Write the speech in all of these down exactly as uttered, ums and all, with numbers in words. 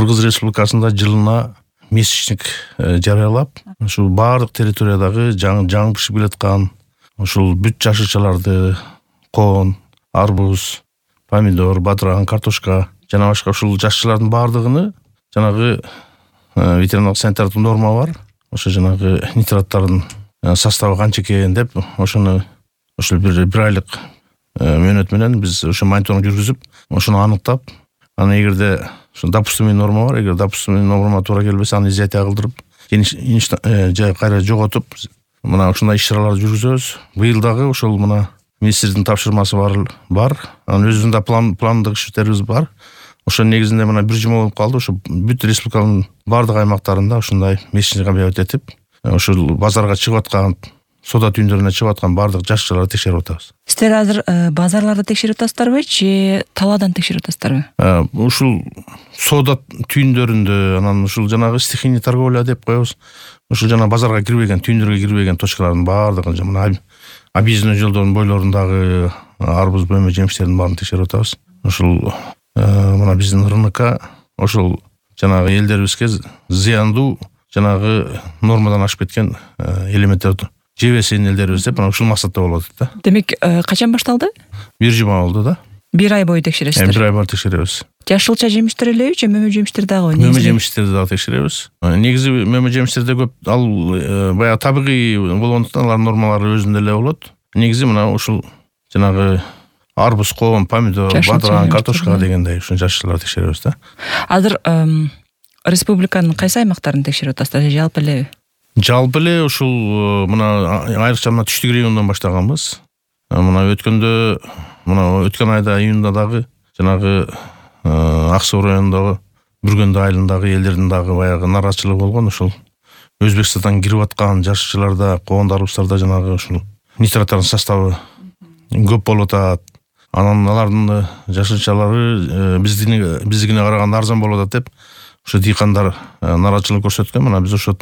Кыргыз Республикасында жылына месячник жарыялап, ушул баардык территориядагы жаңы бышып келаткан ушул бүт жашылчаларды, коон, арбуз, помидор, бадыран, картошка жана башка ушул жашылчалардын баардыгыны жанагы ветеринариялык санитардык норма бар. Ошо жанагы нитраттардын составы канча экен деп, ошону ушул бир бир айлык мөөнөт менен биз ошо мониторинг жүргүзүп, ошону аныктап, аны эгерде ошо допустимый норма бар, эгер допустимый норма туура келбесе, аны изъятие кылдырып, же кайра жоготуп, мына ушундай иш-чараларды жүргүзөбүз. Быйыл дагы ошол мына министрдин тапшырмасы бар, бар. Анын өзүнүн да план пландык иштерибиз бар. Ошо негизинде мына бир жума болуп калды. Ошо бүт республиканын бардык аймактарында ушундай месячник объявить этип, ошол базарга чыгып аткан, соода түйүндөрүнө чыгып аткан бардык жашылчаларды текшерип атабыз. Сиздер азыр базарларды текшерип атасыздарбы же талаадан текшерип атасыздарбы? Ушул соода түйүндөрүндө, анан ушул жанагы стихийный торговля деп коебуз. Ушул жана базарга кирбеген, түйүндөргө кирбеген точкалардын баардыгын, мына объездной жолдордун бойлорундагы арбуз, бөлмө жемиштердин баарын текшерип атабыз. Ушул мына биздин РНК ошол жанагы элдерибизге зыяндуу жанагы нормадан ашып кеткен элементтерди жебесин элдерибиз деп, ушул максатта болуп атат да. Демек, качан башталды? Бир жума болду да. Бир ай бою текшересиздер. Бир ай бою текшеребиз. Жашылча жемиштер элеби же мөмө жемиштер дагы? Мөмө жемиштерди дагы текшеребиз. Негизи мөмө жемиштерде көп, ал баягы табигый болгондуктан алардын нормалары өзүндө эле болот. Негизи мына ушул жанагы арбуз, коон, помидор, бадыран, картошка дегендей ушул жашылчаларды текшеребиз да. Азыр республиканын кайсы аймактарын текшерип атасыздар, жалпы элеби? Жалпы эле ушул мына айрыкча мына түштүк региондон баштаганбыз. Мына өткөндө, мына өткөн айда июнда дагы жанагы Ак Суу районундагы Бүргөндө айылындагы элдердин дагы баягы нааразычылыгы болгон. Ушул Өзбекстандан кирип аткан жашылчаларда, коон, арбуздарда жанагы ушул нитраттардын составы көп болуп атат. Анан алардын жашылчалары биздикине биздикине караганда арзан болуп атат деп, ошо дыйкандар нааразычылык көрсөткөн. Мына биз ошо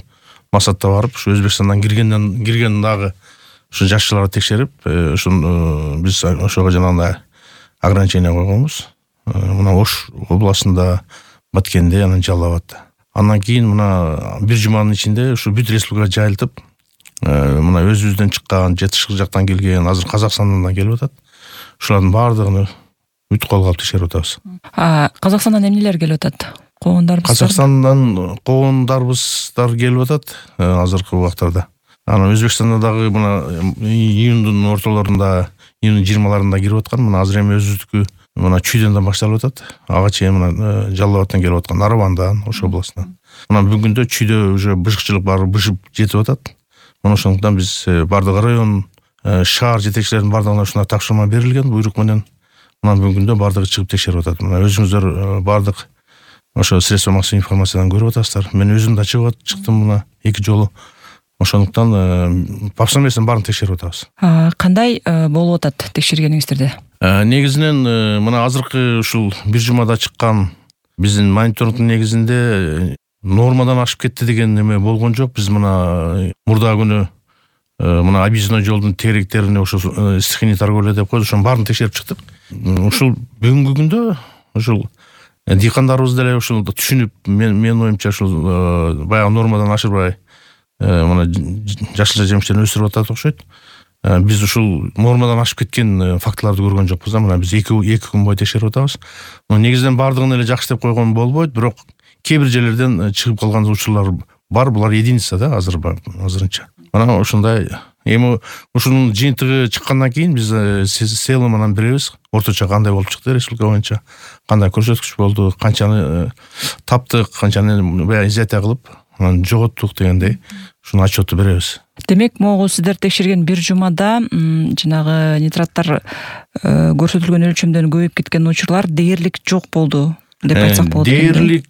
максатта барып, ушу Өзбекстандан киргенден кирген дагы ушу жашылчаларды текшерип, ошо биз ошого жанагындай ограничение койгонбуз. Мына Ош областында, Баткенде, анан Жалал абадта. Андан кийин мына бир жуманын ичинде ушу бүт республикага жайылтып, мына өзүбүздөн чыккан, жетишик жактан келген, азыр Казакстандан да келип атат. Ушулардын баардыгын бүт колго алып текшерип атабыз. Казакстандан эмнелер келип атат? Коондар, Казакстандан коондарыбыздар келип атат азыркы убактарда. Анан Өзбекстанда дагы мына июндун ортолорунда, июндун жыйырмаларында кирип аткан. Мына азыр эми өзүбүздүкү мына Чүйдөн башталып атат. Ага чейин мына Жалал абадтан келип аткан, Нарвандан, Ош областынан. Мына бүгүндө Чүйдө уже бышыкчылык баары бышып жетип атат. Мына ошондуктан биз бардык район, шаар жетекчилеринин бардыгына ушундай тапшырма берилген, буйрук менен. Мына бүгүндө бардыгы чыгып текшерип атат. Мына өзүңүздөр бардык ошо средства массовой информациядан көрүп атасыздар. Мен өзүм да чыгып чыктым мына эки жолу. Ошондуктан папсамесин баарын текшерип атабыз. Кандай болуп атат текшергениңиздерде? Негизинен мына азыркы ушул бир жумада чыккан биздин мониторингдин негизинде нормадан ашып кетти деген эме болгон жок. Биз мына мурда күнү мына объездной жолдун теректерине ошо стихийный торговля деп коебуз, ошонун баарын текшерип чыктык. Ушул бүгүнкү күндө ушул дыйкандарыбыз деле ушул түшүнүп, мен менин оюмча ушул баягы нормадан ашырбай мына жашылча жемиштерин өсүрүп атат окшойт. Биз ушул нормадан ашып кеткен фактыларды көргөн жокпуз да. Мына биз эки эки күн бою текшерип атабыз. Негизинен баардыгын эле жакшы деп койгон болбойт, бирок кээ бир жерлерден чыгып калган учурлар бар. Булар единица да азыр азырынча. Мына ошондой эми ушунун жыйынтыгы чыккандан кийин биз целым анан беребиз. Орточо кандай болуп чыкты республика боюнча, кандай көрсөткүч болду, канчаны таптык, канчаны баягы изъятие кылып, анан жоготтук дегендей ушуну отчетту беребиз. Демек, могу сиздер текшерген бир жумада жанагы нитраттар көрсөтүлгөн өлчөмдөн көбөйүп кеткен учурлар дээрлик жок болду деп айтсак болот. Дээрлик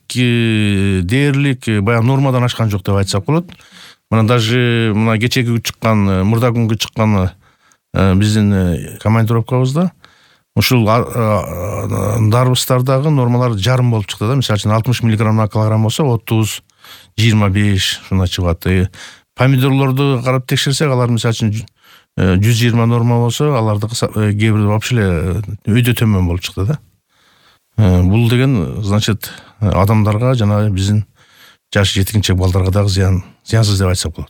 дээрлик баягы нормадан ашкан жок деп айтсак болот. Мына даже мына кечеги чыккан, мурда күнгө чыккан биздин командировкабызда ушул дарбыстардагы нормалар жарым болуп чыкты да. Мисалы үчүн алтымыш миллиграмм на килограмм болсо отуз, жыйырма беш ушундай чыгат. Помидорлорду карап текшерсек, алар мисалы үчүн жүз жыйырма норма болсо, алардыкы кээ бир вообще эле өйдө төмөн болуп чыкты да. Бул деген значит адамдарга жана биздин жаш жеткинчек балдарга дагы зыян зыянсыз деп айтсак болот.